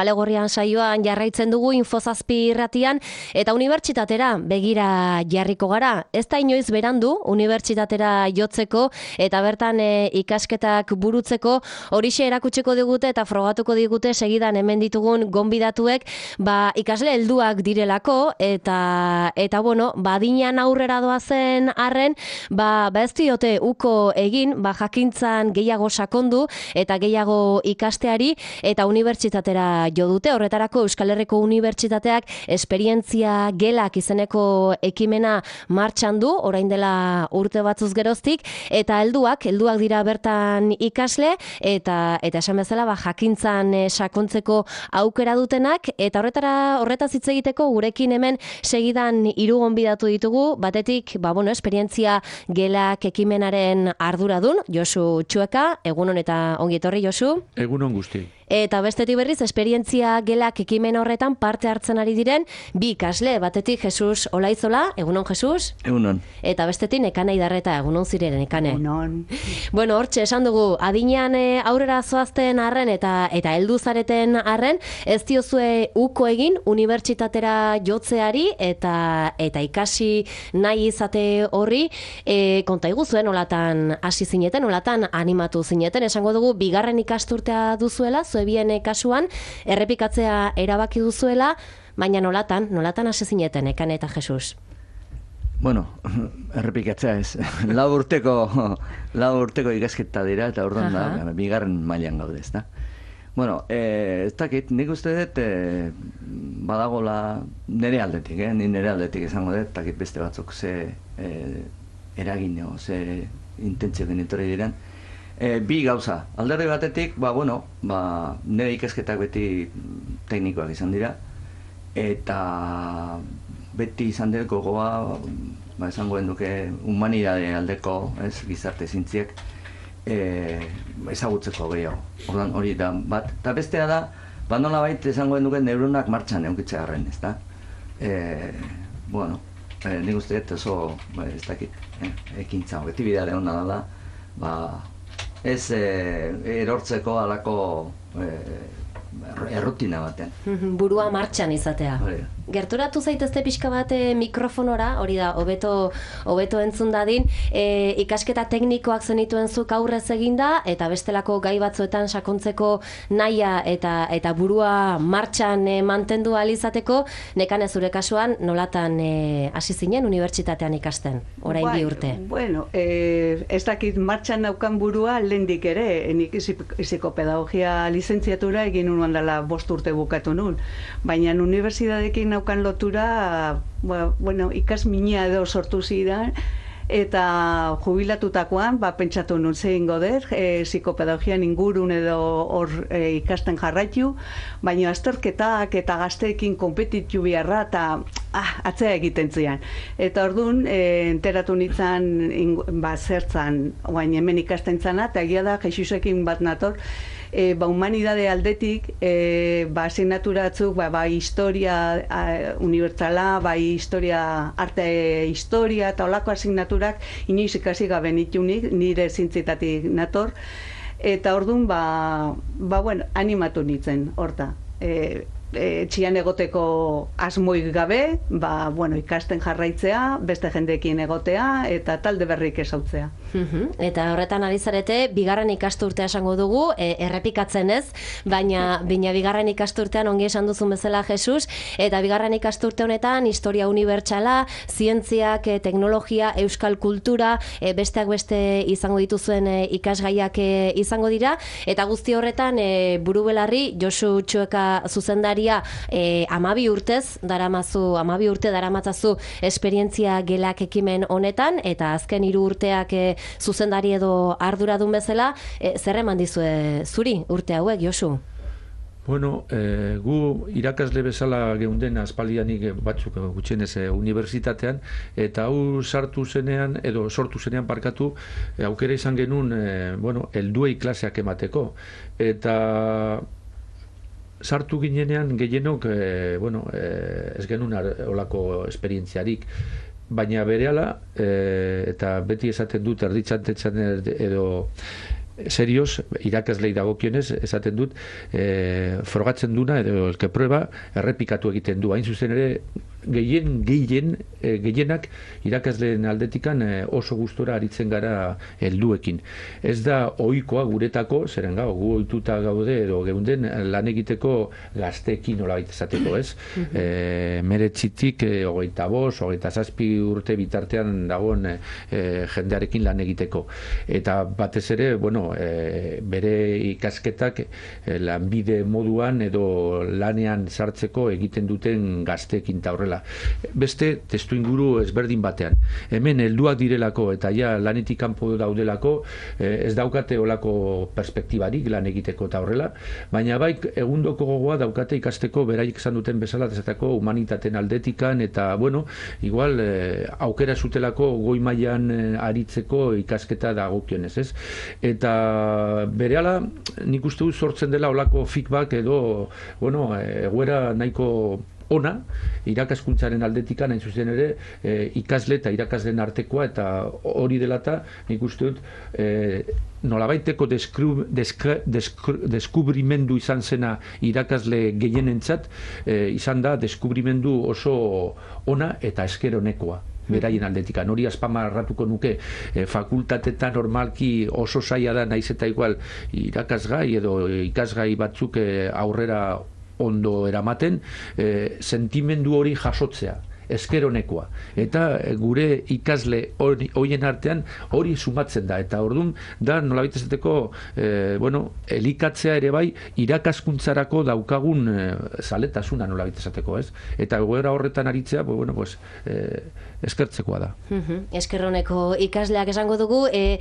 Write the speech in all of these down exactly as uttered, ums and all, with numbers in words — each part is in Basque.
Alegorrian saioan jarraitzen dugu Infozazpi irratian eta unibertsitatera begira jarriko gara. Ez da inoiz berandu unibertsitatera jotzeko eta bertan e, ikasketak burutzeko horixe erakutsiko digute eta frogatuko digute segidan hemen ditugun gonbidatuek ba, ikasle helduak direlako eta eta bueno, badinan aurrera doazen arren, ba, ba ez diote uko egin, ba, jakintzan gehiago sakondu eta gehiago ikasteari eta unibertsitatera jo dute. Horretarako Euskal Herriko Unibertsitateak esperientzia gelak izeneko ekimena martxan du, orain dela urte batzuz geroztik, eta helduak, helduak dira bertan ikasle, eta eta esan bezala ba, jakintzan e, sakontzeko aukera dutenak, eta horretara horretaz hitz egiteko gurekin hemen segidan hiru gonbidatu ditugu, batetik, ba, bueno, esperientzia gelak ekimenaren arduradun, Josu Txueka, egunon eta ongi etorri, Josu. Egunon guzti. Eta bestetik berriz, esperientzia gelak ekimen horretan parte hartzen ari diren bi ikasle, batetik Jesus Olaizola, egunon Jesus? Egunon. Eta bestetik Nekane Idarreta, egunon ziren Nekane? Egunon. Bueno, hortxe, esan dugu, adinean e, aurrera zoazten arren eta eta heldu zareten arren, ez diozue uko egin unibertsitatera jotzeari eta eta ikasi nahi izate horri, e, konta iguzuen, olatan hasi zineten, olatan animatu zineten, esango dugu, bigarren ikasturtea duzuela, bien kasuan, errepikatzea erabaki duzuela, baina nolatan, nolatan hasi zineten, Nekane eta Jesus? Bueno, errepikatzea ez. Lau urteko, lau urteko ikasketa dira, eta orduan da, bigarren mailan gaude, ez da. Bueno, eh, ez dakit, nik uste dut, eh, badagola nire aldetik, eh? Ni nire aldetik izango dut, dakit beste batzuk ze eh, eragin, ze intentzio genitori diren. E, bi gauza, alderdi batetik, ba, bueno, ba, nire ikasketak beti teknikoak izan dira, eta beti izan dut gogoa, ba, esango duke humanidade aldeko, ez, gizarte zintziek, e, ezagutzeko gehiago. Ordan hori da bat, eta bestea da, ba, nola baita esango duke neuronak martxan eunkitzea garren, ez da? E, bueno, e, nik uste dut oso, ba, ez dakit, eh, ekintza, beti bidare hona dela, ba, ez eh, erortzeko alako eh, errutina batean. Burua martxan izatea. Hori. Gerturatu zaitezte pixka bat mikrofonora, hori da, hobeto hobeto entzun dadin, e, ikasketa teknikoak zenituen zuk aurrez eginda, eta bestelako gai batzuetan sakontzeko nahia eta eta burua martxan e, mantendu ahal izateko, Nekane zure kasuan nolatan e, hasi zinen unibertsitatean ikasten, orain bai, bi urte. Bueno, eh, ez dakit martxan naukan burua lehendik ere, nik psikopedagogia lizentziatura egin unuan dela bost urte bukatu nun, baina unibertsitateekin naukan lotura, bueno, ikas minia edo sortu zidan, eta jubilatutakoan, ba, pentsatu nun zein goder, e, psikopedagogian ingurun edo hor e, ikasten jarraitu, baina azterketak eta gazteekin konpetitu biharra, eta ah, atzea egiten zian. Eta orduan, e, enteratu nintzen, ba, zertzan, oain hemen ikasten zana, eta egia da, Jesusekin bat nator, E, ba, humanidade aldetik, e, ba, asignaturatzuk, ba, ba, historia a, unibertsala, bai, historia, arte historia, eta olako asignaturak inoiz ikasi gabe nitunik, nire zintzitatik nator, eta orduan, ba, ba, bueno, animatu nintzen, horta. E, e, txian egoteko asmoik gabe, ba, bueno, ikasten jarraitzea, beste jendeekin egotea, eta talde berrik esautzea. Eta horretan ari zarete, bigarren ikasturtea esango dugu, e, errepikatzen ez, baina baina bigarren ikasturtean ongi esan duzun bezala Jesus, eta bigarren ikasturte honetan historia unibertsala, zientziak, e, teknologia, euskal kultura, e, besteak beste izango dituzuen e, ikasgaiak e, izango dira, eta guzti horretan e, buru belarri Josu Txueka zuzendaria e, amabi urtez daramazu, amabi urte daramatzazu esperientzia gelak ekimen honetan, eta azken hiru urteak e, zuzendari edo arduradun bezala, e, zer eman dizue zuri urte hauek, Josu? Bueno, eh, gu irakasle bezala geunden aspaldianik batzuk gutxienez eh, unibertsitatean, eta hau sartu zenean, edo sortu zenean parkatu, eh, aukera izan genuen, eh, bueno, helduei klaseak emateko. Eta sartu ginenean gehienok, eh, bueno, eh, ez genuen olako esperientziarik, baina berehala, eh, eta beti esaten dut erditxantetzen edo serioz, irakaslei dagokionez, esaten dut, e, frogatzen duna, edo elke prueba, errepikatu egiten du. Hain zuzen ere, gehien, gehien, e, gehienak irakasleen aldetikan e, oso gustora aritzen gara helduekin. Ez da ohikoa guretako, zeren gau, gu ohituta gaude edo geunden lan egiteko gazteekin nola baita esateko, ez? e, meretzitik, e, hogeita bost, hogeita zazpi urte bitartean dagoen e, jendearekin lan egiteko. Eta batez ere, bueno, e, bere ikasketak e, lanbide moduan edo lanean sartzeko egiten duten gazteekin ta horrela. Beste testu inguru ezberdin batean. Hemen helduak direlako eta ja lanetik kanpo daudelako, eh, ez daukate olako perspektibarik lan egiteko eta horrela, baina bai egundoko gogoa daukate ikasteko beraiek esan duten bezala desatako humanitateen aldetikan eta bueno, igual eh, aukera zutelako goi mailan eh, aritzeko ikasketa dagokionez, ez? Eta berehala nik uste dut sortzen dela olako feedback edo bueno, egoera nahiko ona, irakaskuntzaren aldetikan, hain zuzen ere, e, ikasle eta irakasleen artekoa, eta hori delata, nik uste dut, e, nolabaiteko deskru, deskru, deskru, deskubrimendu izan zena irakasle gehienentzat, e, izan da deskubrimendu oso ona eta eskeronekoa. Beraien aldetikan. Hori azpamarratuko nuke e, fakultatetan normalki oso zaila da, naiz eta igual irakasgai edo ikasgai batzuk e, aurrera ondo eramaten, eh, sentimendu hori jasotzea, eskeronekoa. Eta gure ikasle horien artean hori sumatzen da. Eta orduan, da nolabait esateko, eh, bueno, elikatzea ere bai, irakaskuntzarako daukagun eh, zaletasuna nolabait esateko, ez? Eta egoera horretan aritzea, pues, bueno, pues, eh, eskertzekoa da. Uh-huh. Eskerroneko ikasleak esango dugu, e,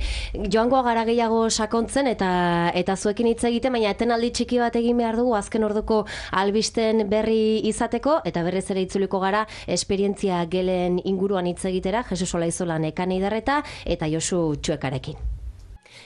joango gara gehiago sakontzen eta eta zuekin hitz egiten, baina etenaldi txiki bat egin behar dugu azken orduko albisten berri izateko, eta berriz ere itzuliko gara esperientzia gelen inguruan hitz egitera, Jesus Olaizola Nekane Idarreta eta Josu Txuekarekin.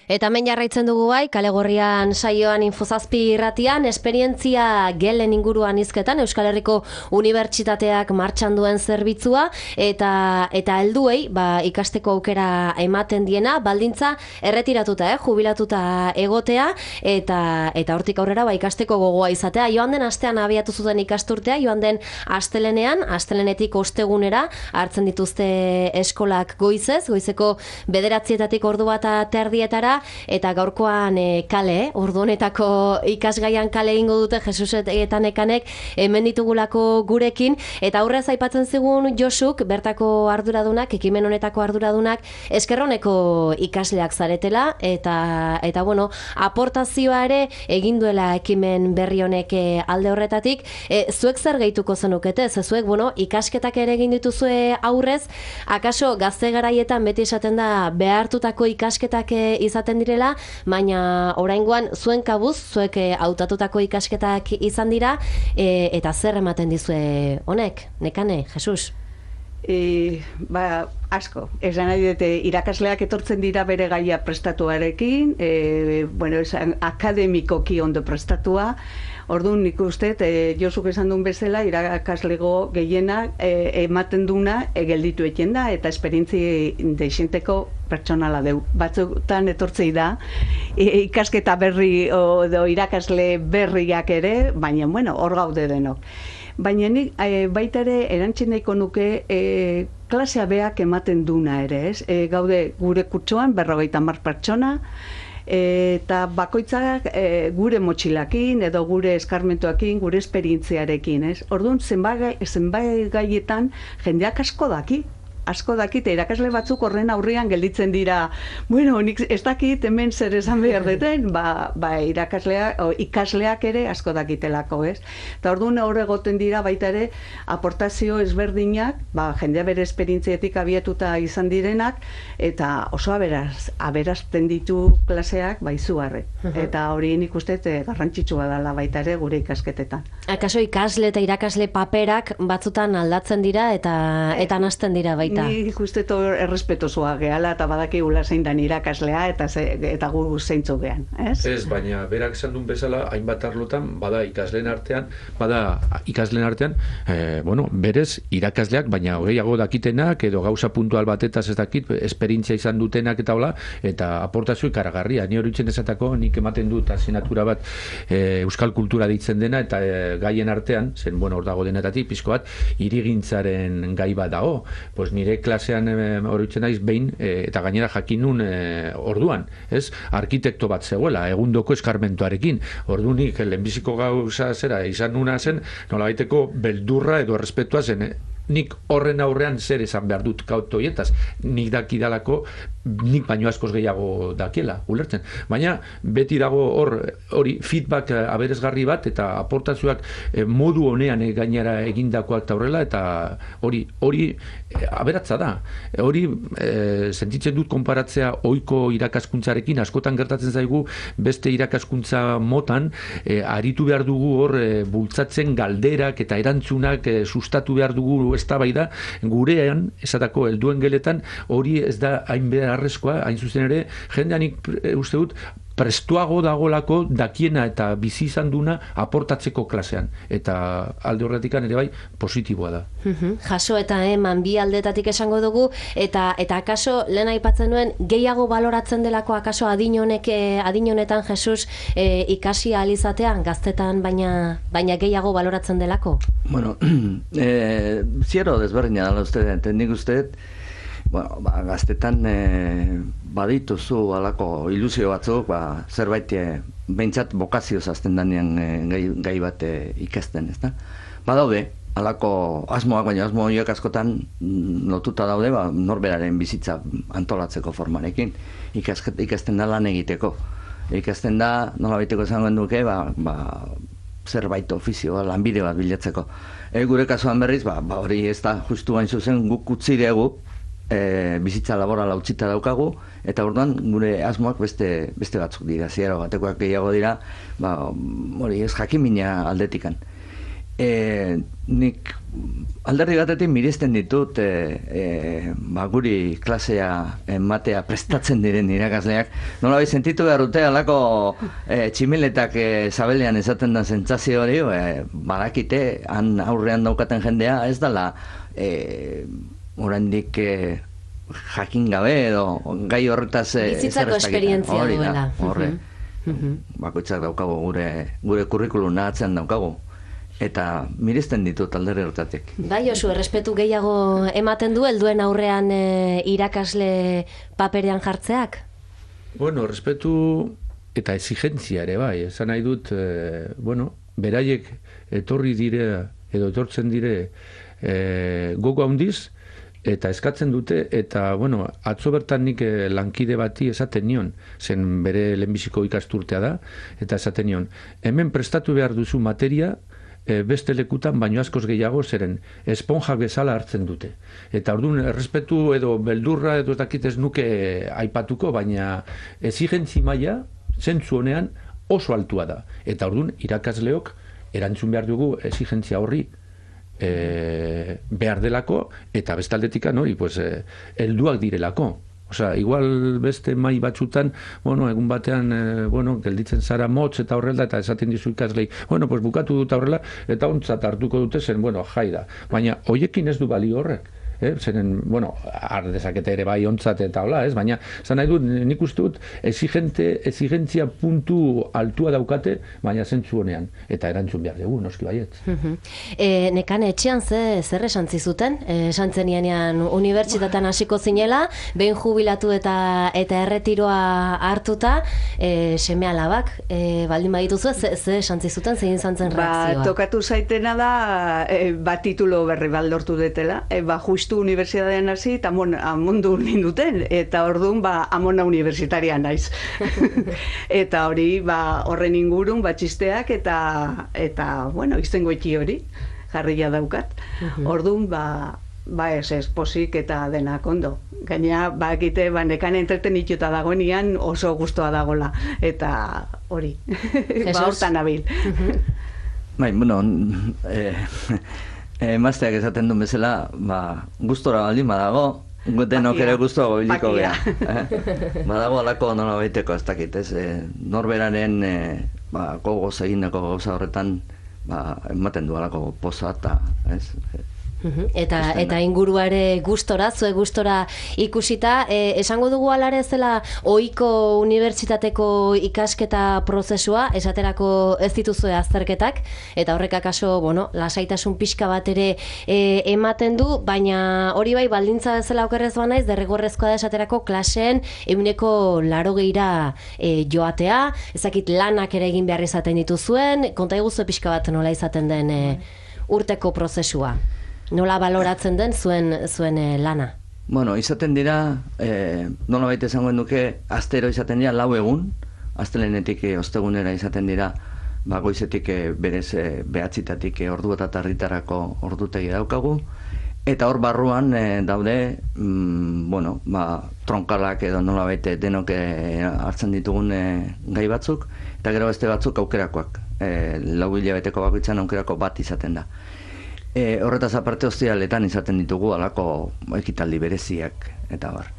Eta hemen jarraitzen dugu bai, Kale Gorrian saioan Infozazpi irratian, esperientzia gelen inguruan hizketan Euskal Herriko Unibertsitateak martxan duen zerbitzua, eta eta helduei ba, ikasteko aukera ematen diena, baldintza erretiratuta, eh, jubilatuta egotea, eta eta hortik aurrera ba, ikasteko gogoa izatea. Joan den astean abiatu zuten ikasturtea, joan den astelenean, astelenetik ostegunera hartzen dituzte eskolak goizez, goizeko bederatzietatik ordu bat terdietara, eta gaurkoan e, kale, ordu honetako ikasgaian kale egingo dute Jesus eta Nekanek hemen ditugulako gurekin, eta aurrez aipatzen zigun Josuk, bertako arduradunak, ekimen honetako arduradunak, eskerroneko ikasleak zaretela, eta eta bueno, aportazioa ere egin duela ekimen berri honek alde horretatik. E, zuek zer gehituko zenukete? Zuek, bueno, ikasketak ere egin dituzue aurrez, akaso gazte garaietan beti esaten da behartutako ikasketak izaten direla, baina oraingoan zuen kabuz, zuek hautatutako ikasketak izan dira, e, eta zer ematen dizue honek, Nekane, Jesus? E, ba, asko. Esan nahi dute, irakasleak etortzen dira bere gaia prestatuarekin, e, bueno, esan, akademikoki ondo prestatua. Orduan nik uste, e, Josuk esan duen bezala, irakaslego gehiena e, ematen duna e, gelditu eken da, eta esperientzi deixenteko pertsonala deu. Batzutan etortzei da, e, ikasketa berri o, o irakasle berriak ere, baina, bueno, hor gaude denok. Baina nik e, baita ere erantzin nahiko nuke e, klasea beak ematen duna ere, ez? E, gaude gure kutsoan berrogeita hamar pertsona, eta bakoitzak e, gure motxilakin edo gure eskarmentuakin, gure esperientziarekin, ez? Orduan, zenbait zenbait gaietan jendeak asko daki, asko dakite, irakasle batzuk horren aurrean gelditzen dira, bueno, nik ez dakit hemen zer esan behar deten, ba, ba irakasleak, o, ikasleak ere asko dakitelako, ez? Eta orduan hor egoten dira baita ere aportazio ezberdinak, ba, jendea bere esperientzietik abiatuta izan direnak, eta oso aberaz, aberazten ditu klaseak ba izugarri. Eta hori nik uste garrantzitsua dela baita ere gure ikasketetan. Akaso ikasle eta irakasle paperak batzutan aldatzen dira eta eta nahasten dira baita baita. Ni ikuste to errespetosua gehala eta badakigula zein dan irakaslea eta ze, eta gu zeintzu gean, ez? Ez, baina berak esan duen bezala hainbat arlotan bada ikasleen artean, bada ikasleen artean, eh, bueno, berez irakasleak, baina gehiago dakitenak edo gauza puntual batetaz ez dakit, esperientzia izan dutenak eta hola, eta aportazio ikaragarria. Ni horitzen esatako, nik ematen dut asignatura bat e, euskal kultura ditzen dena eta e, gaien artean, zen, bueno, hor dago denetatik, pizko bat, hirigintzaren gai bat dago. Pues nire klasean e, horitzen naiz behin, e, eta gainera jakinun e, orduan, ez? Arkitekto bat zegoela, egundoko eskarmentuarekin. Ordunik, lehenbiziko gauza zera, izan nuna zen, nola baiteko beldurra edo errespetua zen, nik horren aurrean zer esan behar dut kauto hietaz, nik dakidalako nik baino askoz gehiago dakiela, ulertzen. Baina beti dago hor hori feedback aberasgarri bat eta aportazioak eh, modu honean eh, gainera egindakoak eta horrela, eta hori hori eh, aberatza da. Hori eh, sentitzen dut konparatzea ohiko irakaskuntzarekin, askotan gertatzen zaigu beste irakaskuntza motan eh, aritu behar dugu hor eh, bultzatzen galderak eta erantzunak eh, sustatu behar dugu eztabaida, gurean esatako helduen geletan hori ez da hain beharrezkoa, hain zuzen ere jendeanik uste dut prestuago dagolako dakiena eta bizi izan duna aportatzeko klasean, eta alde horretikan ere bai positiboa da. Uhum. Jaso eta eman bi aldetatik esango dugu, eta eta akaso lehen aipatzen nuen gehiago baloratzen delako akaso adin honek adin honetan Jesus e, ikasi ahal izatean gaztetan baina baina gehiago baloratzen delako. Bueno, eh ziero desberdina da uste, nik uste bueno, ba, gaztetan e, badituzu alako ilusio batzuk, ba, zerbait e, behintzat bokazioz azten danean e, gai, gai bat e, ikasten, ezta? Badaude, alako asmoak, baina asmo horiek askotan lotuta daude, ba, norberaren bizitza antolatzeko formarekin, ikasket, ikasten da lan egiteko. Ikasten da, nola baiteko esango duke, ba, ba, zerbait ofizioa, lanbide bat bilatzeko. E, gure kasuan berriz, ba, ba hori ez da, justu hain zuzen guk utzi dugu, E, bizitza laborala utzita daukagu, eta orduan gure asmoak beste, beste batzuk dira, ziero batekoak gehiago dira, ba, hori ez jakimina aldetikan. E, nik alderdi batetik miresten ditut e, e, ba, guri klasea ematea prestatzen diren irakasleak, nola bai sentitu behar dute alako e, tximiletak e, zabelean esaten da sentsazio hori, e, badakite han aurrean daukaten jendea ez dala e, oraindik eh, jakin gabe edo gai horretaz eh, bizitzako esperientzia duela. Horre, bakoitzak daukagu gure gure kurrikuluna atzean daukagu. Eta miresten ditut alderdi hortatik. Bai, oso, errespetu gehiago ematen du helduen aurrean e, irakasle paperean jartzeak? Bueno, respetu eta exigentzia ere bai, esan nahi dut, e, bueno, beraiek etorri dire edo etortzen dire e, gogo handiz, eta eskatzen dute, eta, bueno, atzo bertan nik eh, lankide bati esaten nion, zen bere lehenbiziko ikasturtea da, eta esaten nion, hemen prestatu behar duzu materia, eh, beste lekutan baino askoz gehiago zeren esponjak bezala hartzen dute. Eta orduan, errespetu edo beldurra edo ez dakit ez nuke aipatuko, baina exigentzi maila, zentzu honean, oso altua da. Eta orduan, irakasleok erantzun behar dugu exigentzia horri, E, behar delako, eta bestaldetikan hori, pues, e, helduak direlako. Osea, igual beste mai batzutan, bueno, egun batean, e, bueno, gelditzen zara motz eta horrela, eta esaten dizu ikaslei, bueno, pues bukatu dut horrela, eta ontzat hartuko dute zen, bueno, jai da. Baina, hoiekin ez du balio horrek. Eh, zeren, bueno, har dezakete ere bai ontzat eta hola, ez? Baina, zan nahi dut, nik uste dut, exigente, exigentzia puntu altua daukate, baina zentzu honean, eta erantzun behar dugu, noski baiet. Uh-huh. E, nekane etxean ze, zer esan zizuten? E, esan zenianean unibertsitatean hasiko zinela, behin jubilatu eta eta erretiroa hartuta, e, seme alabak, e, baldin badituzu, ze, ze esan zizuten, zein izan zen reakzioa? Ba, tokatu zaitena da, e, ba, titulo berri baldortu detela, e, ba, justu unibertsitatean hasi eta amon, amondu ninduten, eta orduan ba, amona universitaria naiz. Eta hori, ba, horren ingurun, batxisteak eta, eta bueno, izengoiti hori, jarria daukat. Orduan, ba, ba ez ez, posik eta denak ondo. Gaina, ba, egite, ba, nekan entretenituta dagoenian oso gustoa dagola, eta hori, ba, hortan abil. Bai, bueno, eh, emazteak esaten duen bezala, ba, gustora baldin badago, denok ere guztuago biliko geha. Eh? Badago alako nola baiteko, ez dakit, ez? Eh, norberaren eh, ba, gogoz egindako gauza horretan ba, ematen du alako poza eta, ez? Eta, eta inguruare gustora, zue gustora ikusita, e, esango dugu alare zela ohiko unibertsitateko ikasketa prozesua, esaterako ez dituzue azterketak, eta horrek akaso, bueno, lasaitasun pixka bat ere e, ematen du, baina hori bai baldintza bezala okerrez banaiz, derrigorrezkoa da esaterako klaseen euneko laro geira e, joatea, ezakit lanak ere egin behar izaten dituzuen, konta eguzue pixka bat nola izaten den e, urteko prozesua. Nola baloratzen den zuen zuen eh, lana? Bueno, izaten dira, eh, nola baita esangoen duke, astero izaten dira lau egun, astelenetik eh, ostegunera izaten dira, ba, goizetik eh, berez eh, behatzitatik eh, ordu eta tarritarako ordutegi daukagu, eta hor barruan eh, daude, mm, bueno, ba, tronkalak edo nola baita denok eh, hartzen ditugun eh, gai batzuk, eta gero beste batzuk aukerakoak, eh, lau hilabeteko bakoitzan aukerako bat izaten da. E, horretaz aparte ostialetan izaten ditugu alako ekitaldi bereziak eta bar.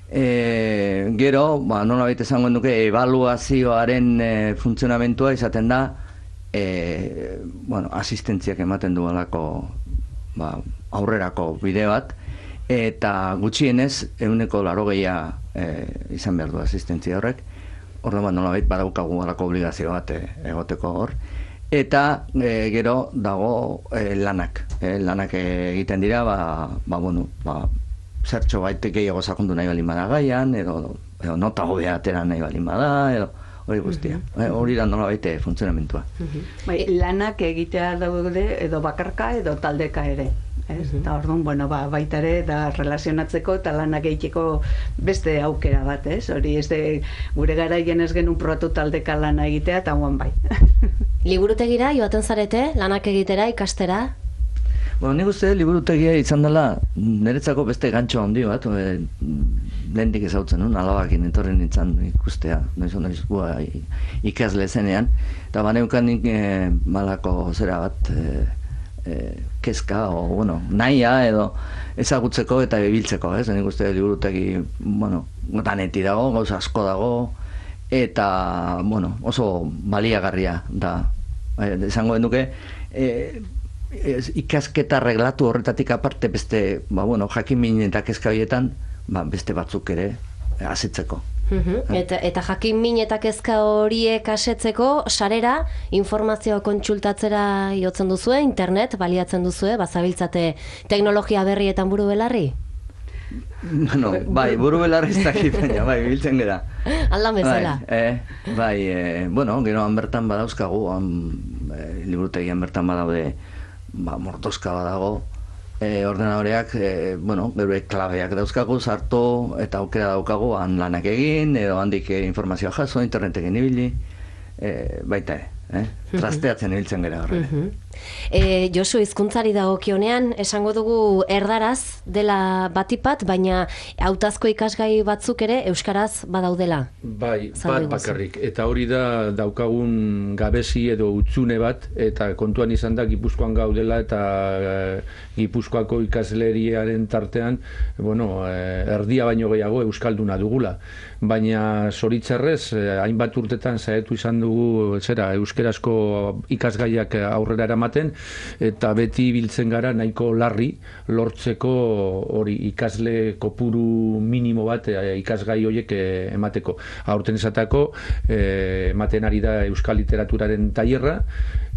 E, gero, ba, nola baita esangoen duke, ebaluazioaren e, funtzionamentua izaten da, e, bueno, asistentziak ematen du alako ba, aurrerako bide bat, eta gutxienez, euneko larogeia e, izan behar du asistentzia horrek, horren bat nola baita badaukagu alako obligazio bat e, egoteko hor. Eta e, gero dago e, lanak. E, lanak egiten dira, ba, ba, bueno, ba, zertxo baitek gehiago sakundu nahi balin bada gaian, edo, edo nota hobea atera nahi balin bada, edo hori guztia. Uh-huh. e, hori da nola baite funtzionamentua. Uh-huh. Bai, lanak egitea daude edo bakarka edo taldeka ere. Ez? Uh-huh. Eta orduan, bueno, ba, baita ere, da relazionatzeko eta lanak egiteko beste aukera bat, ez? Hori ez de, gure garaien ez genuen probatu taldeka lana egitea, eta guan bai. Liburutegira joaten zarete, lanak egitera, ikastera? Bueno, nik uste liburutegia izan dela niretzako beste gantxo handi bat, e, lehendik ezautzen, nun, alabakin etorren nintzen ikustea, noiz noiz gua ikasle zenean, eta baneukan nik e, malako zera bat, e, e, kezka, o, bueno, nahia edo ezagutzeko eta bebiltzeko, ez? Nik uste liburutegi, bueno, daneti dago, gauza asko dago, eta, bueno, oso baliagarria da. E, esango duke, e, Ez, ikasketa reglatu horretatik aparte beste, ba, bueno, jakin eta kezka horietan, ba, beste batzuk ere asetzeko. Uh-huh. Eta, eta jakin min eta kezka horiek asetzeko, sarera, informazio kontsultatzera jotzen duzue, internet baliatzen duzue, bazabiltzate teknologia berrietan buru belarri? Bueno, bai, buru belarri ez dakit, baina, bai, biltzen gara. Aldan bezala. Bai, eh, bai eh, bueno, gero han bertan badauzkagu, han, eh, liburutegian bertan badaude, ba, mortoska badago, e, ordenadoreak, e, bueno, gure klabeak dauzkagu, sartu eta aukera daukagu han lanak egin, edo handik informazioa jaso, interneteken ibili, e, baita ere, eh? Trasteatzen ibiltzen gara horre. Uh-huh. E, Josu, hizkuntzari dagokionean esango dugu erdaraz dela batipat, baina hautazko ikasgai batzuk ere euskaraz badaudela. Bai, bat bakarrik. Eta hori da daukagun gabezi edo utzune bat, eta kontuan izan da Gipuzkoan gaudela eta e, Gipuzkoako ikasleriaren tartean, bueno, e, erdia baino gehiago euskalduna dugula. Baina zoritzarrez, e, hainbat urtetan saiatu izan dugu zera euskerazko ikasgaiak aurrera eramaten, eta beti biltzen gara nahiko larri lortzeko hori ikasle kopuru minimo bat e, ikasgai horiek e, emateko. Aurten esatako e, ematen ari da euskal literaturaren tailerra,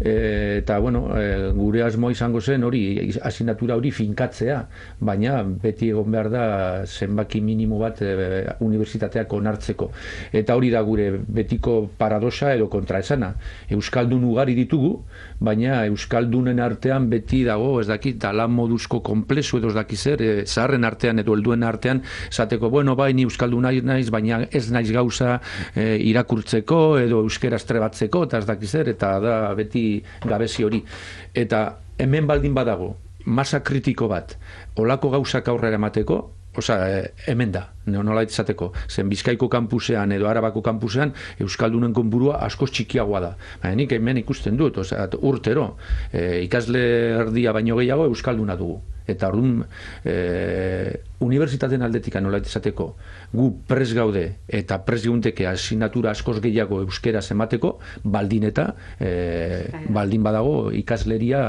e, eta bueno, e, gure asmo izango zen hori asignatura hori finkatzea, baina beti egon behar da zenbaki minimo bat e, unibertsitateak onartzeko. Eta hori da gure betiko paradoxa edo kontraesana. Euskaldun ugari ditugu, baina euskaldunen artean beti dago, ez dakit, lan moduzko konplexu edo ez dakit zer, e, zaharren artean edo helduen artean, esateko, bueno, bai, ni euskaldun naiz, baina ez naiz gauza e, irakurtzeko edo euskera estrebatzeko, eta ez dakit zer, eta da beti gabezi hori. Eta hemen baldin badago, masa kritiko bat, olako gauzak aurrera emateko, osea, hemen da. nola izateko, zen Bizkaiko kampusean edo Arabako kampusean Euskaldunen konburua askoz txikiagoa da. Baina nik hemen ikusten dut, osea, urtero, e, ikasle erdia baino gehiago Euskalduna dugu. Eta orduan, e, unibertsitateen aldetik nola izateko, gu pres gaude eta pres geunteke asignatura askoz gehiago euskera emateko, baldin eta e, baldin badago ikasleria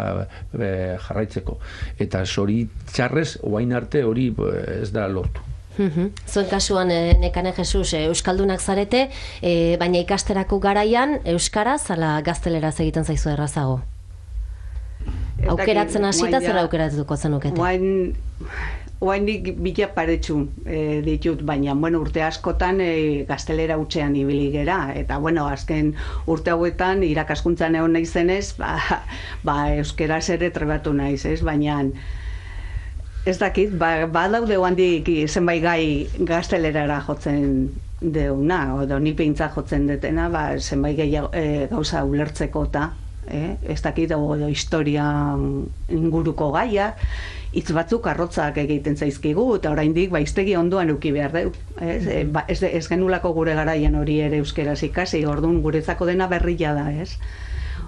e, jarraitzeko. Eta zoritxarrez, oain arte hori ez da lortu. Zuen kasuan, Nekane Jesus, Euskaldunak zarete, e, baina ikasterako garaian Euskaraz ala gazteleraz egiten zaizu errazago? Aukeratzen hasita zer aukeratuko zenukete? Oain, oainik bila paretxu e, ditut, baina bueno, urte askotan e, gaztelera utxean ibili gera, eta bueno, azken urte hauetan irakaskuntzan egon naizenez, ba, ba euskaraz ere trebatu naiz, ez? Baina ez dakit, ba, ba daude handik zenbait gai gaztelerara jotzen deuna, edo nik behintzat jotzen detena, ba, zenbait gehiago, e, gauza ulertzeko eta Eh, ez dakit edo historia inguruko gaiak, hitz batzuk arrotzak egiten zaizkigu, eta oraindik baiztegi ondoan eduki behar du. Ez, e, ba, ez, ez genulako gure garaian hori ere euskeraz ikasi, orduan guretzako dena berria da, ez?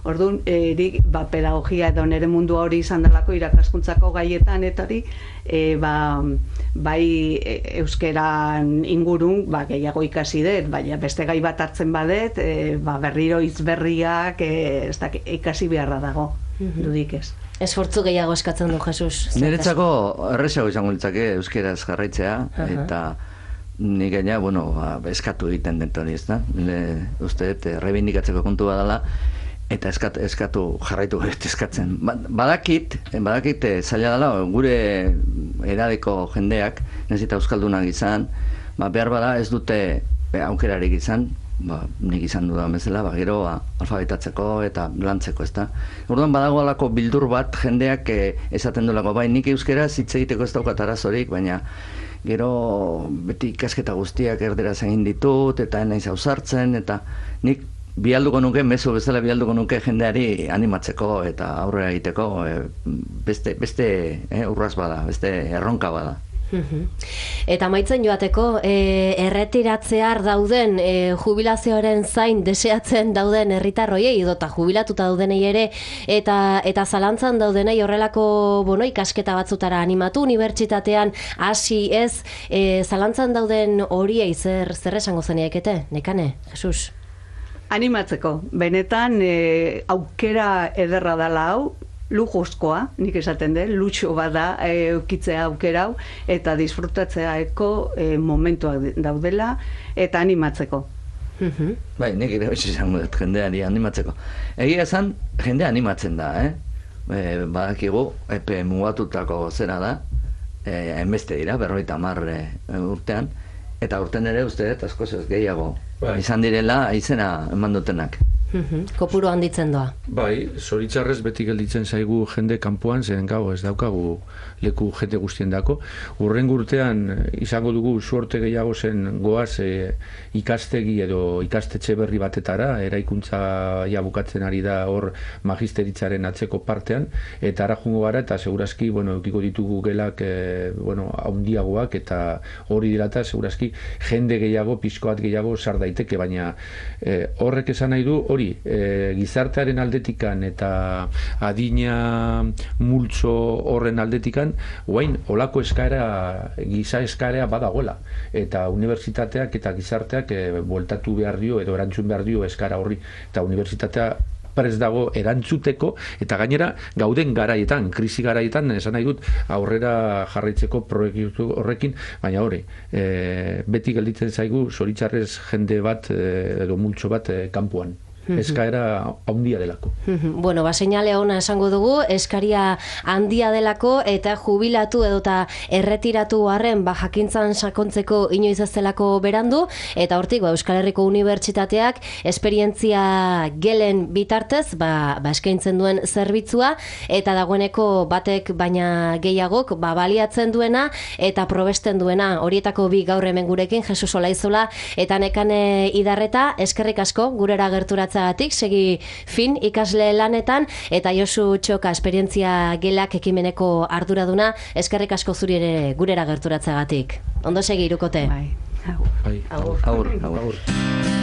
Orduan, erik, ba, pedagogia edo nere mundua hori izan delako irakaskuntzako gaietan, eta hori, e, ba, bai euskeran ingurun, ba, gehiago ikasi dut, baina beste gai bat hartzen badet, e, ba, berriro hitz berriak e, ez da, ikasi beharra dago, dudik ez. Esfortzu gehiago eskatzen du, Jesus. Niretzako errezago izango litzake euskeraz jarraitzea, uh-huh. eta nik gaina, bueno, ba, eskatu egiten dut hori, ez da? Uste dut, rebindikatzeko kontu badala, eta eskat, eskatu jarraitu eskatzen. Badakit, badakit zaila dela, gure edadeko jendeak, nahiz eta euskaldunak izan, ba, behar bada ez dute aukerarik izan, ba, nik izan dudan bezala, ba, gero ba, alfabetatzeko eta lantzeko, ez da. Orduan badago alako bildur bat jendeak eh, esaten duelako, bai, nik euskeraz hitz egiteko ez daukat arazorik, baina gero beti ikasketa guztiak erderaz egin ditut, eta naiz ausartzen, eta nik bialduko nuke, mezu bezala bialduko nuke jendeari animatzeko eta aurrera egiteko e, beste, beste e, urraz bada, beste erronka bada. Eta amaitzen joateko, e, erretiratzear dauden, e, jubilazioaren zain deseatzen dauden herritarroiei edota jubilatuta daudenei ere, eta eta zalantzan daudenei horrelako bueno, ikasketa batzutara animatu, unibertsitatean hasi ez, e, zalantzan dauden horiei zer, zer esango zeniekete, Nekane, Jesus? Animatzeko, benetan e, aukera ederra dela hau, lujuzkoa, nik esaten dut, lutxo bada e, eukitzea aukera hau, eta disfrutatzeako e, momentuak daudela, eta animatzeko. Uh-huh. Bai, nik ere hoxe izango dut, jendeari animatzeko. Egia esan, jendea animatzen da, eh? E, badakigu, epe mugatutako zera da, e, enbeste dira, berroita hamar e, urtean, eta urten ere uste dut askoz ez gehiago. Bai. Izan direla izena eman dutenak. Kopuru handitzen doa. Bai, zoritxarrez beti gelditzen zaigu jende kanpoan, zen gau ez daukagu leku jende guztien dako. Urren urtean izango dugu suerte gehiago zen goaz e, ikastegi edo ikastetxe berri batetara, eraikuntza ja bukatzen ari da hor magisteritzaren atzeko partean, eta ara jungo gara, eta segurazki, bueno, eukiko ditugu gelak, e, bueno, haundiagoak, eta hori dirata, segurazki, jende gehiago, pixkoat gehiago sar daiteke, baina e, horrek esan nahi du, hori, e, gizartearen aldetikan eta adina multzo horren aldetikan, guain, olako eskaera, giza eskaera badagoela, eta unibertsitateak eta gizarteak e, bueltatu behar dio, edo erantzun behar dio eskaera horri, eta unibertsitatea prest dago erantzuteko, eta gainera gauden garaietan, krisi garaietan, esan nahi dut, aurrera jarraitzeko proiektu horrekin, baina hori, e, beti gelditzen zaigu, zoritxarrez jende bat, e, edo multzo bat e, kanpoan. Eskaera handia delako. Bueno, ba, seinale ona esango dugu, eskaria handia delako, eta jubilatu edota erretiratu harren, ba, jakintzan sakontzeko inoiz ez delako berandu, eta hortik, ba, Euskal Herriko Unibertsitateak esperientzia gelen bitartez, ba, ba, eskaintzen duen zerbitzua, eta dagoeneko batek baina gehiagok, ba, baliatzen duena, eta probesten duena, horietako bi gaur hemen gurekin, Jesus Olaizola, eta Nekane Idarreta, eskerrik asko, gurera gerturatzen gerturatzagatik, segi fin ikasle lanetan, eta Josu Txoka esperientzia gelak ekimeneko arduraduna, eskerrik asko zuri ere gurera gerturatzagatik. Ondo segi, Irukote. Bai. Bai. Agur. Agur, agur. Agur.